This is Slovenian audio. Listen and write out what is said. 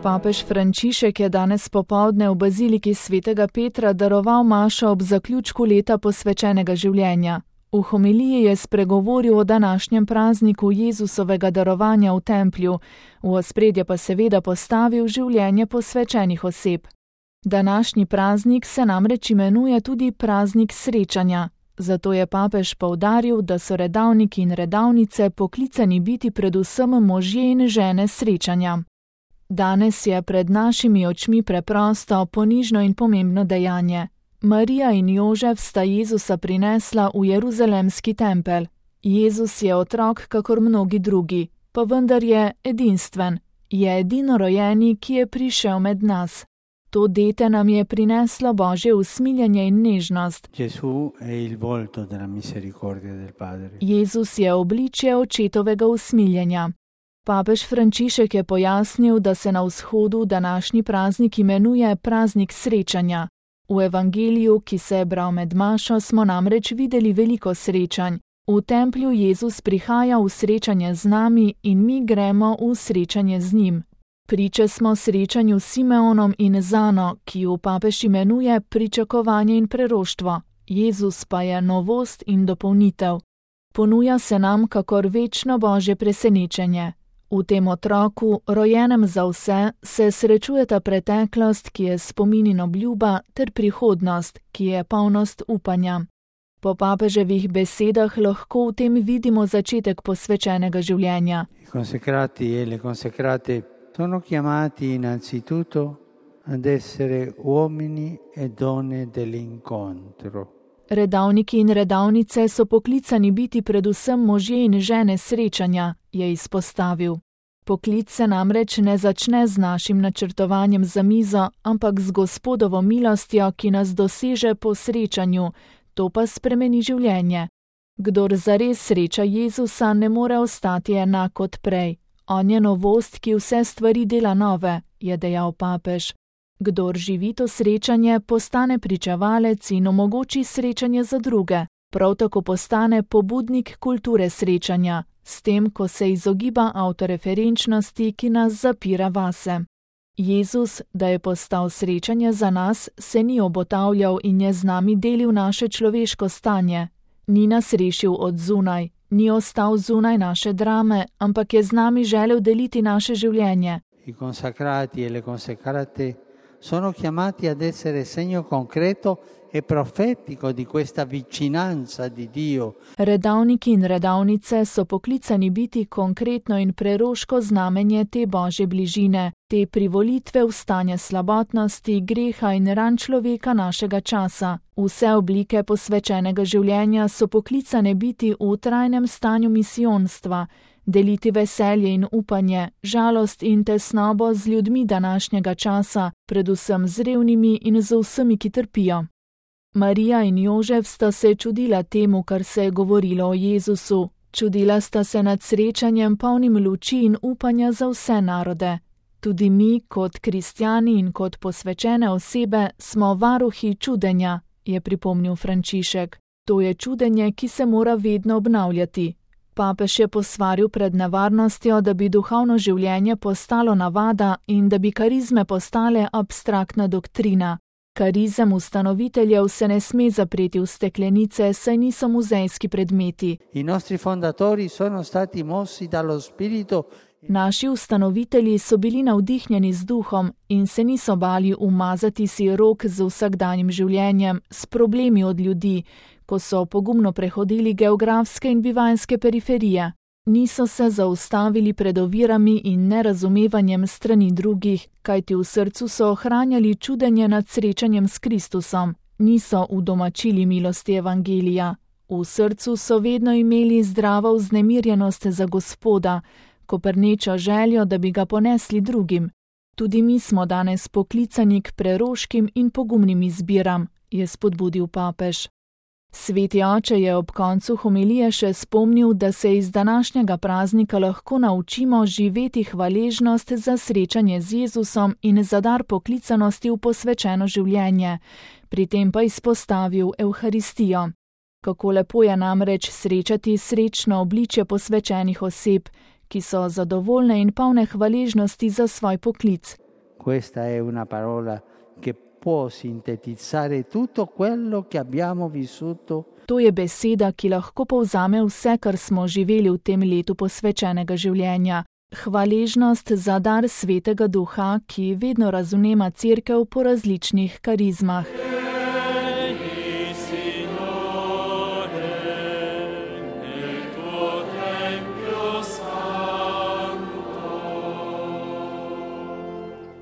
Papež Frančišek je danes popoldne v baziliki svetega Petra daroval mašo ob zaključku leta posvečenega življenja. V homiliji je spregovoril o današnjem prazniku Jezusovega darovanja v templju, v ospredje pa seveda postavil življenje posvečenih oseb. Današnji praznik se namreč imenuje tudi praznik srečanja. Zato je papež poudaril, da so redavniki in redavnice poklicani biti predvsem možje in žene srečanja. Danes je pred našimi očmi preprosto, ponižno in pomembno dejanje. Marija in Jožef sta Jezusa prinesla v Jeruzalemski tempelj. Jezus je otrok kakor mnogi drugi, pa vendar je edinstven, je edinorojeni, ki je prišel med nas. To dete nam je prineslo Božje usmiljenje in nežnost. Jezus je obličje očetovega usmiljenja. Papež Frančišek je pojasnil, da se na vzhodu današnji praznik imenuje praznik srečanja. V evangeliju, ki se je bral med mašo, smo namreč videli veliko srečanj. V templju Jezus prihaja v srečanje z nami in mi gremo v srečanje z njim. Priče smo srečanju s Simeonom in Zano, ki jo papež imenuje pričakovanje in preroštvo. Jezus pa je novost in dopolnitev. Ponuja se nam kakor večno Božje presenečenje. V tem otroku, rojenem za vse, se srečujeta preteklost, ki je spomin in obljuba, ter prihodnost, ki je polnost upanja. Po papeževih besedah lahko v tem vidimo začetek posvečenega življenja. Sono chiamati innanzitutto ad essere uomini e donne dell'incontro. Redavniki in redavnice so poklicani biti predvsem možje in žene srečanja, je izpostavil. Poklic se namreč ne začne z našim načrtovanjem za mizo, ampak z Gospodovo milostjo, ki nas doseže po srečanju, to pa spremeni življenje. Kdor zares sreča Jezusa, ne more ostati enak kot prej. On je novost, ki vse stvari dela nove, je dejal papež. Kdor živi to srečanje, postane pričevalec in omogoči srečanje za druge. Prav tako postane pobudnik kulture srečanja, s tem, ko se izogiba avtoreferenčnosti, ki nas zapira vase. Jezus, da je postal srečanje za nas, se ni obotavljal in je z nami delil naše človeško stanje. Ni nas rešil od zunaj. Ni ostal zunaj naše drame, ampak je z nami želel deliti naše življenje. I consacrati e le consacrate sono chiamati ad essere segno concreto e profetico di questa vicinanza di Dio. Redavniki in redavnice so poklicani biti konkretno in preroško znamenje te Božje bližine, te privolitve v stanje slabotnosti, greha in ran človeka našega časa. Vse oblike posvečenega življenja so poklicane biti v trajnem stanju misijonstva, deliti veselje in upanje, žalost in tesnobo z ljudmi današnjega časa, predvsem z revnimi in z vsemi, ki trpijo. Marija in Jožef sta se čudila temu, kar se je govorilo o Jezusu. Čudila sta se nad srečanjem polnim luči in upanja za vse narode. Tudi mi, kot kristjani in kot posvečene osebe, smo varuhi čudenja, je pripomnil Frančišek. To je čudenje, ki se mora vedno obnavljati. Papež je posvaril pred nevarnostjo, da bi duhovno življenje postalo navada in da bi karizme postale abstraktna doktrina. Karizem ustanoviteljev se ne sme zapreti v steklenice, saj niso muzejski predmeti. Naši ustanovitelji so bili navdihnjeni z duhom in se niso bali umazati si rok z vsakdanjim življenjem, s problemi od ljudi, ko so pogumno prehodili geografske in bivanjske periferije. Niso se zaustavili pred ovirami in nerazumevanjem strani drugih, kajti v srcu so ohranjali čudenje nad srečanjem s Kristusom. Niso udomačili milosti evangelija. V srcu so vedno imeli zdravo vznemirjenost za Gospoda, koprnečo željo, da bi ga ponesli drugim. Tudi mi smo danes poklicani k preroškim in pogumnim izbiram, je spodbudil papež. Sveti oče je ob koncu homilije še spomnil, da se iz današnjega praznika lahko naučimo živeti hvaležnost za srečanje z Jezusom in za dar poklicanosti v posvečeno življenje, pri tem pa izpostavil Evharistijo. Kako lepo je namreč srečati srečno obličje posvečenih oseb, ki so zadovoljne in polne hvaležnosti za svoj poklic. Questa è una parola che può sintetizzare tutto quello che abbiamo vissuto. To je beseda, ki lahko povzame vse, kar smo živeli v tem letu posvečenega življenja. Hvaležnost za dar Svetega Duha, ki vedno razumema Cerkev po različnih karizmah.